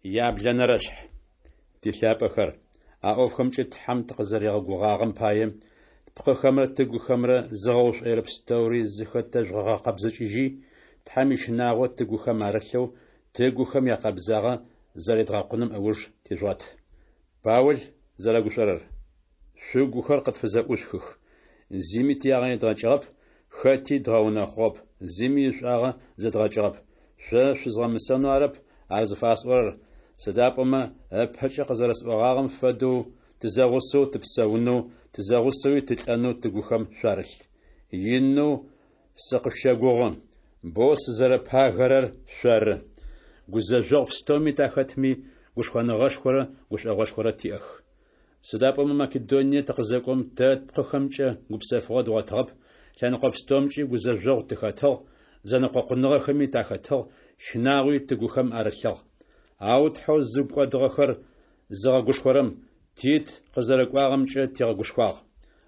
Яблэнэрэшъхь. Тилъапӏэхэр, а ӏофхэмкӏэ Тхьэм тыкъызэригъэгугъагъэм пае, тпкъыхэмрэ тыгухэмрэ зыгъэушӏоирэ пстэури зыхэтэжъугъэгъэкъэбзыкӏыжьи, Тхьэм ищынагъо тыгухэм арылъэу, тыгухэм якъэбзагъэ зэредгъэкъуным ыуж тижъугъэт. Паул зэрэгушӏорэр. Шъугухэр къытфызэӏушъухых. Зыми тиягъэ едгъэкӏыгъэп, хэти дгъэунэхъугъэп, зыми ишӏуагъэ зэдгъэкӏыгъэп. Шъо шъузгъэмысэнэу арэп ар зыфасӏорэр, сыда пӏомэ ыпэкӏэ къызэрэсӏогъагъэм фэдэу, тызэгъусэу тыпсэунэу, тызэгъусэуи тылӏэнэу тыгухэм шъуарылъ. Инэу сыкъышъущэгугъы, боу сызэрэпагэрэр шъоры. Гузэжъогъу пстэуми тахэтми, гушхоныгъэшхорэ гушӏогъошхорэ тиӏэх. Сыда пӏомэ Македоние тыкъызэкӏом, тэ тпкъыхэмкӏэ гупсэфыгъо дгъотыгъэп, лъэныкъо пстэумкӏи гузэжъогъу тыхэтыгъ, зэнэкъокъуныгъэхэми тахэтыгъ, щынагъуи тыгухэм арылъыгъ. Ау Тхьэу зыгу кӏодыгъэхэр зыгъэгушхорэм Тит къызэрэкӏуагъэмкӏэ тигъэгушхуагъ.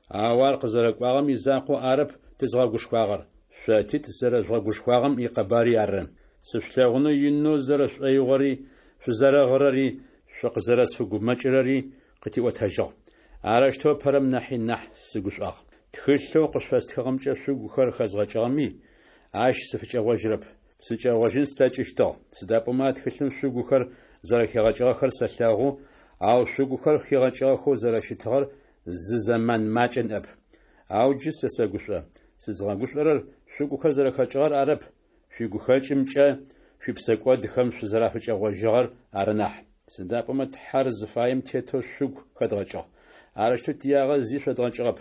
Ау ар къызэрэкӏуагъэм изакъоу арэп тызгъэгушхуагъэр, шъо Тит зэрэжъугъэгушхуагъэм икъэбари ары. Сышъулъэгъунэу инэу зэрэшӏоигъори, шъузэрэгъырэри, шъукъызэрэсфэгумэкӏырэри къытиӏотэжьыгъ. Арэущтэу ыпэрэм нахьи нахь сыгушӏуагъ. Тхылъэу къышъуфэстхыгъэмкӏэ шъугухэр хэзгъэкӏыгъэми, ащ сыфыкӏэгъожьырэп. Сыкӏэгъожьын слъэкӏыщтыгъ, сыда пӏомэ а тхылъым шъугухэр зэрэхигъэкӏыгъэхэр сэлъэгъу, ау шъугухэр хигъэкӏыгъэхэу зэрэщытыгъэр зы зэман макӏэ ныӏэп. Ау джы сэ сэгушӏо. Сызгъэгушӏорэр шъугухэр зэрэхэкӏыгъэр арэп, шъуигухэкӏымкӏэ шъуипсэкӏодхэм шъузэрафыкӏэгъожьыгъэр ары нахь. Сыда пӏомэ Тхьэр зыфаем тетэу шъугу хэдгъэкӏыгъ. Арэущтэу тиягъэ зи шъодгъэкӏыгъэп.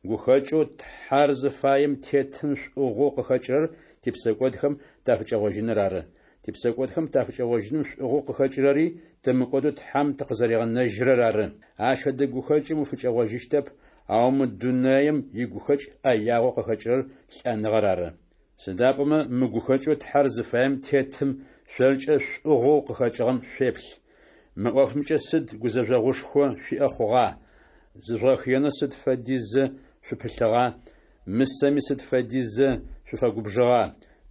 Гухэкӏэу Тхьэр зыфаем тетым шӏугъэу къыхэкӏырэр типсэкӏодхэм тафыкӏэгъожьыныр ары. Типсэкӏодхэм тафыкӏэгъожьыным шӏугъэу къыхэкӏырэри тымыкӏодэу Тхьэм тыкъызэригъэнэжьырэр ары. Ащ фэдэ гухэкӏым уфыкӏэгъожьыщтэп, ау мы дунаем игухэкӏ ӏэягъэу къыхэкӏырэр лӏэныгъэр ары. Сыда пӏомэ мы гухэкӏэу Тхьэр зыфаем тетым шъоркӏэ шӏугъэу къыхэкӏыгъэм шъуеплъ. Мы ӏофымкӏэ сыд гузэжъогъушхо шъуиӏэ хъугъа, зыжъугъэхыенэу сыд фэдизэ шъупылъыгъа, мысэми сыд фэдизэ шъуфэгубжыгъа,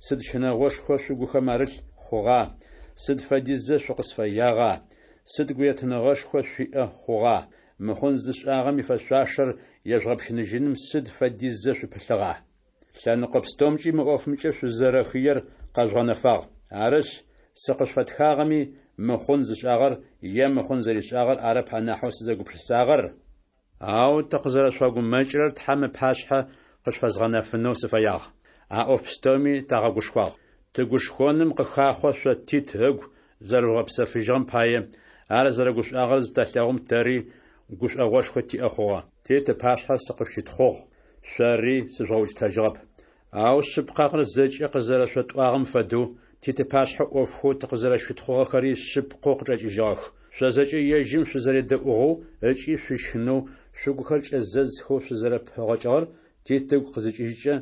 сыд щынэгъошхо шъугухэм арылъ хъугъа, сыд фэдизэ шъукъысфэягъа, сыд гуетыныгъэшхо шъуиӏэ хъугъа, мыхъун зышӏагъэм ифэшъуашэр ежъугъэпщыныжьыным сыд фэдизэ шъупылъыгъа? Лъэныкъо пстэумкӏи мы ӏофымкӏэ шъузэрэхыер къэжъугъэнэфагъ. Арышъ, сыкъышъуфэтхагъэми, мыхъун зышӏагъэр е мыхъун зэришӏагъэр арэп анахьэу сызэгупшысагъэр, ау тыкъызэрэшъуфэгумэкӏырэр Тхьэм ыпашъхьэ къышъуфэзгъэнэфэнэу сыфэягъ. А ӏоф пстэуми тагъэгушхуагъ. Тыгушхоным къыхахъо шъо Тит ыгу зэрэжъугъэпсэфыжьыгъэм пае, ар зэрэгушӏуагъэр зытэлъэгъум тэри гушӏогъошхо тиӏэ хъугъэ. Тит ыпашъхьэ сыкъышъущытхъугъ, шъори сыжъугъэукӏытэжьыгъэп. Ау шъыпкъагъэр зэкӏэ къызэрэшъотӏуагъэм фэдэу, Тит ыпашъхьэ ӏофхэу тыкъызэрэшъущытхъугъэхэри шъыпкъэу къычӏэкӏыжьыгъэх. Шъо зэкӏэ ежьым шъузэредэӏугъэу ыкӏи шъущынэу, шъугухэр кӏэзэзхэу шъузэрэпэгъокӏыгъэр Тит ыгу къызыкӏыжькӏэ,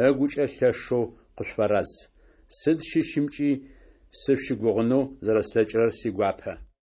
ыгукӏэ лъэшэу къышъуфэраз. Сыд щыщымкӏи сышъущыгугъынэу зэрэслъэкӏырэр сигуапэ.